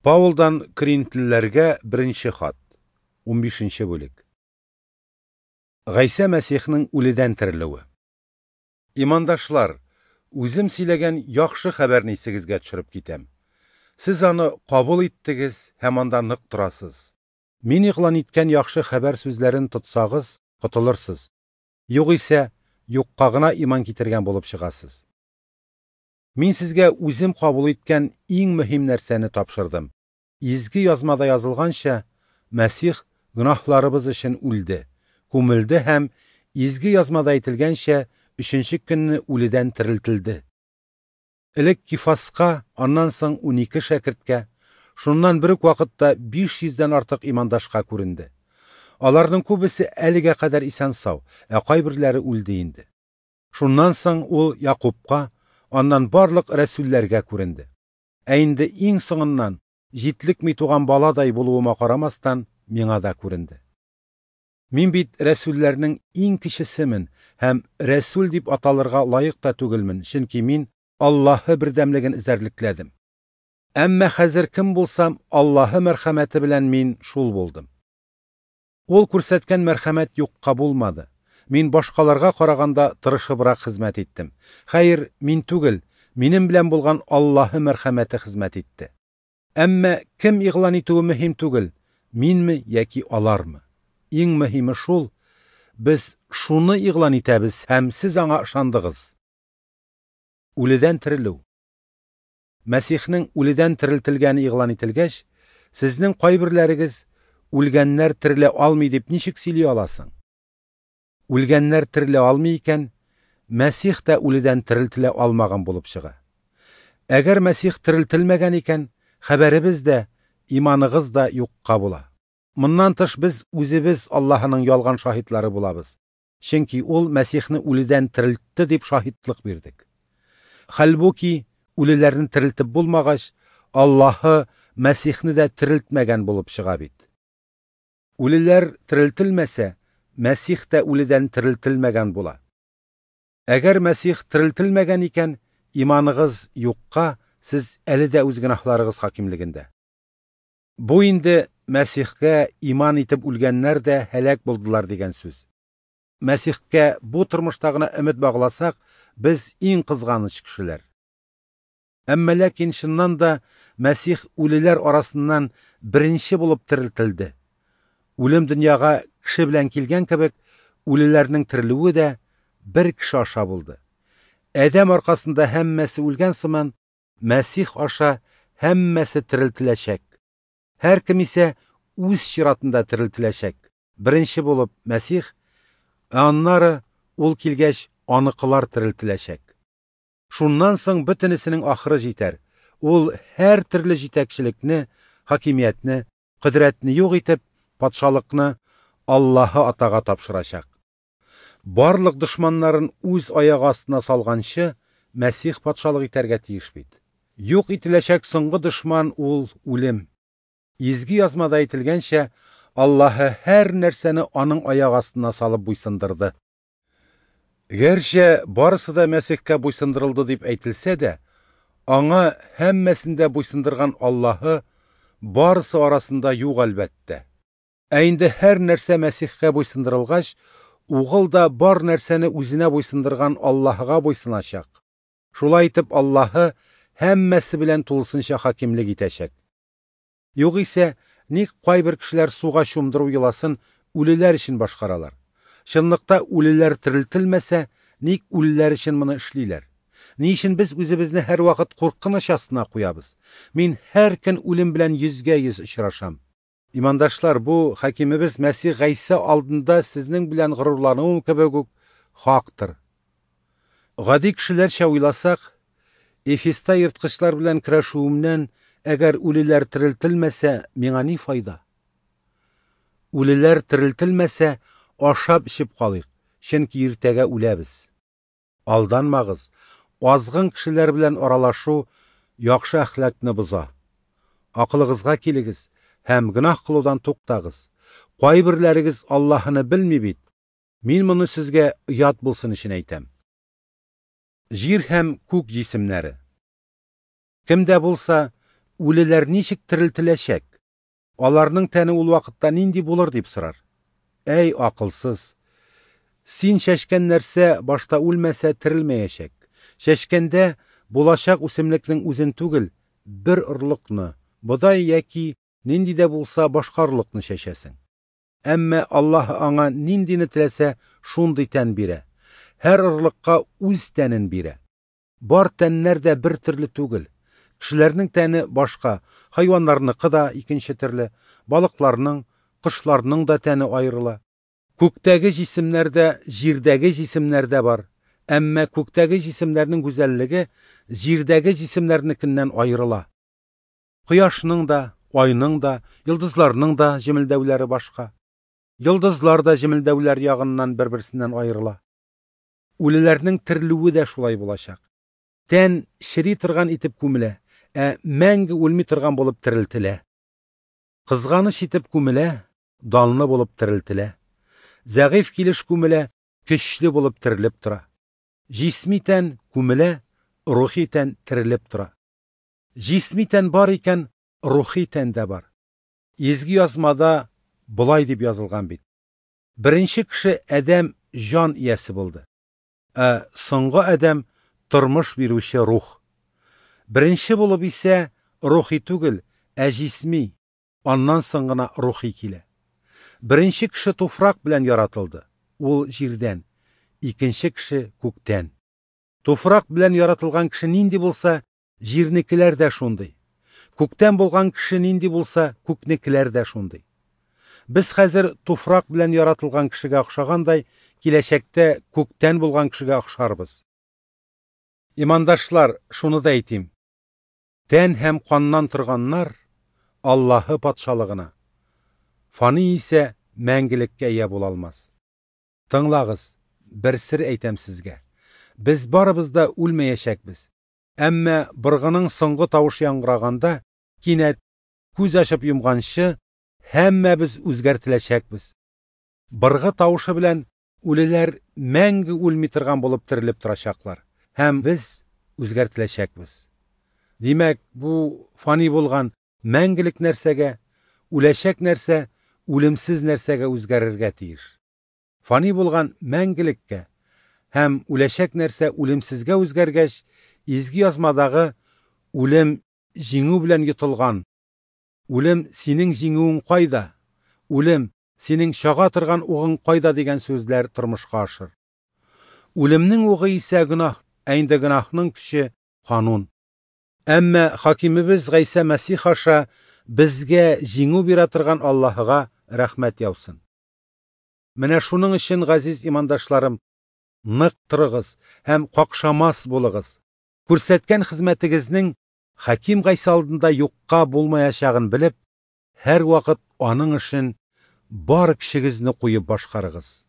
Паулдан Коринфлеләргә беренче хат, 15 бүлек. Гайсә Мәсихнең үледән терелүе. Имандашлар, үзем сөйләгән яхшы хәбәрне исегезгә төшереп китәм. Сез аны кабул иттегез һәм анда нык торасыз. Мин игълан иткән яхшы хәбәр сүзләрен тотсагыз, котылырсыз. Югыйсә, юкка гына иман китергән булып чыгасыз. Мин сезгә үзем кабул иткән иң мөһим нәрсәне тапшырдым. Изге язмада язылганча, Мәсих гөнаһларыбыз өчен үлде, күмелде һәм изге язмада әйтелгәнчә, өченче көнне үледән терелтелде. Элек Кифаска, аннан соң 12 шәкерткә, шуннан бер үк вакытта 500дән артык имандашка күренде. Аларның күбесе әлегә кадәр исән-сау, ә кайберләре үлде инде. Шуннан соң ул Якубка, аннан барлык рәсүлләргә күренде. Ә инде иң соңыннан, җитлекми туган баладай булуыма карамастан, миңа да күренде. Мин бит рәсүлләрнең иң кечесемен һәм рәсүл дип аталырга лаек та түгелмен, чөнки мин Аллаһы бердәмлеген эзәрлекләдем. Әмма хәзер кем булсам, Аллаһы мәрхәмәте белән мин шул булдым. Ул күрсәткән мәрхәмәт юкка булмады. Мин башкаларга караганда тырышыбрак хезмәт иттем. Хәер, мин түгел, минем белән булган Аллаһы мәрхәмәте хезмәт итте. Әмма кем игълан итүе мөһим түгел, минме яки алармы? Иң мөһиме шул, без шуны игълан итәбез һәм сез аңа ышандыгыз. Үледән терелү. Мәсихнең үледән терелтелгәне игълан ителгәч, сезнең кайберләрегез үлгәннәр терелә алмый дип ничек сөйли аласың? Үлгәннәр терелә алмый икән, Мәсих тә үледән терелтелә алмаган булып чыга. Әгәр Мәсих терелтелмәгән икән, хәбәребез дә, иманыгыз да юкка була. Моннан тыш без үзебез Аллаһының ялган шаһитлары булабыз. Чөнки ул Мәсихне үледән терелтте дип шаһитлык бирдек. Хәлбуки үлеләрне терелтеп булмагач, Аллаһы Мәсихне дә терелтмәгән булып чыга бит. Үлеләр терелтелмәсә, Мәсих тә үледән терелтелмәгән була. Әгәр Мәсих терелтелмәгән икән, иманыгыз юкка, сез әле дә үз гөнаһларыгыз хакимлегендә. Бу инде Мәсихкә иман итеп үлгәннәр дә һәлак булдылар дигән сүз. Мәсихкә бу тормышта гына өмет багласак, без иң кызганыч кешеләр. Әмма ләкин чыннан да Мәсих үлеләр арасыннан беренче булып терелтелде. Үлем дөньяга кеше белән килгән кебек, үлеләрнең терелүе дә бер кеше аша булды. Адәм аркасында һәммәсе үлгән сыман, Мәсих аша һәммәсе терелтеләчәк. Һәр кем исә үз чиратында терелтеләчәк. Беренче булып Мәсих, ә аннары ул килгәч, аныкылар терелтеләчәк. Шуннан соң бөтенесенең ахыры җитәр. Ул һәр төрле җитәкчелекне, хакимиятне, кодрәтне юк итеп, патшалыкны Аллаһы Атага тапшырачак. Барлык дошманнарын үз аягы астына салганчы, Мәсих патшалык итәргә тиеш бит. Юк ителәчәк соңгы дошман ул үлем. Изге язмада әйтелгәнчә, Аллаһы һәр нәрсәне аның аяк астына салып буйсындырды. Гәрчә барысы да Мәсихкә буйсындырылды дип әйтелсә дә, аңа һәммәсен дә буйсындырган Аллаһы барысы арасында юк әлбәттә. Ә инде һәр нәрсә Мәсихкә буйсындырылгач, Угыл да бар нәрсәне үзенә буйсындырган Аллаһыга буйсыначак. Шулай итеп Аллаһы һәммәсе белән тулысынча хакимлек итәчәк. Югыйсә, ник кайбер кешеләр суга чумдыру йоласын үлеләр өчен башкаралар? Чынлыкта үлеләр терелтелмәсә, ник үлеләр өчен моны эшлиләр? Ни өчен без үзебезне һәрвакыт куркыныч астына куябыз? Мин һәр көн үлем белән йөзгә-йөз очрашам. Имандашлар, бу хакимебез Мәсих Гайсә алдында сезнең белән горурлануым кебек үк хактыр. Гади кешеләрчә уйласак, Эфеста ерткычлар белән көрәшүемнән әгәр үлеләр терелтелмәсә, миңа ни файда? Үлеләр терелтелмәсә, ашап эчеп калыйк, чөнки иртәгә үләбез. Алданмагыз, азгын кешеләр белән аралашу яхшы әхлакны боза. Акылыгызга килегез һәм гөнаһ кылудан туктагыз. Кайберләрегез Аллаһыны белми бит. Мин моны сезгә оят булсын өчен әйтәм. Җир һәм күк җисемнәре. Кем дә булса Үлеләр ничек терелтеләчәк? Аларның тәне ул вакытта нинди булыр дип сорар. Әй акылсыз! Син чәчкән нәрсә башта үлмәсә терелмәячәк. Чәчкәндә булачак үсемлекнең үзен түгел, бер орлыкны, бодай яки нинди дә булса башка орлыкны чәчәсең. Әмма Аллаһ аңа ниндине теләсә, шундый тән бирә. Һәр орлыкка үз тәнен бирә. Бар тәннәр дә бер төрле түгел. Кешеләрнең тәне башка, хайваннарныкы да икенче төрле, балыкларның, кошларның да тәне аерыла. Күктәге җисемнәр дә, җирдәге җисемнәр дә бар. Әмма күктәге җисемнәрнең гүзәллеге җирдәге җисемнәрнекеннән аерыла. Кояшның да, айның да, йолдызларның да җемелдәүләре башка. Йолдызлар да җемелдәүләр ягыннан бер-берсеннән аерыла. Үлеләрнең терелүе дә шулай булачак. Тән чери торган итеп күмелә, ә мәңге үлми торган булып терелтелә. Кызганыч итеп күмелә, данлы булып терелтелә. Зәгыйфь килеш күмелә, көчле булып терелеп тора. Җисми тән күмелә, рухи тән терелеп тора. Җисми тән бар икән, рухи тән дә бар. Изге язмада болай дип язылган бит. Беренче кеше Адәм җан иясе булды. Ә соңгы Адәм тормыш бирүче рух. Беренче булып исә рухи түгел, ә җисми, аннан соң гына рухи килә. Беренче кеше туфрак белән яратылды, ул җирдән, икенче кеше күктән. Туфрак белән яратылган кеше нинди булса, җирнекеләр дә шундый. Күктән булган кеше нинди булса, күкнекеләр дә шундый. Без хәзер туфрак белән яратылган кешегә охшагандай, киләчәктә күктән булган кешегә охшарбыз. Имандашлар, шуны да әйтим. Тән һәм каннан торганнар Аллаһы патшалыгына, фани исә мәңгелеккә ия була алмас. Тыңлагыз, бер сер әйтәм сезгә. Без барыбыз да үлмәячәкбез. Әмма быргының соңгы тавышы яңгыраганда, кинәт күз ачып йомганчы, һәммәбез үзгәртеләчәкбез. Быргы тавышы белән үлеләр мәңге үлми торган булып терелеп торачаклар, һәм без үзгәртеләчәкбез. Димәк, бу фани булган мәңгелек нәрсәгә, үләчәк нәрсә, үлемсез нәрсәгә үзгәрергә тиеш. Фани булган мәңгелеккә һәм үләчәк нәрсә үлемсезгә үзгәргәч, изге язмадагы үлем җиңү белән йотылган. Үлем синең җиңүең кайда? Үлем синең чага торган угың кайда дигән сүзләр тормышка ашыр. Үлемнең угы исә гөнаһ, ә инде гөнаһның көче канун. Әмма хакимебез Гайсә Мәсих аша безгә җиңү бирә торган Аллаһыга рәхмәт яусын. Менә шуның өчен, газиз имандашларым, нык торыгыз һәм какшамас булыгыз. Күрсәткән хезмәтегезнең Хаким Гайсә алдында юкка булмаячагын белеп, һәр вакыт аның эшен бар көчегезне куеп башкарыгыз.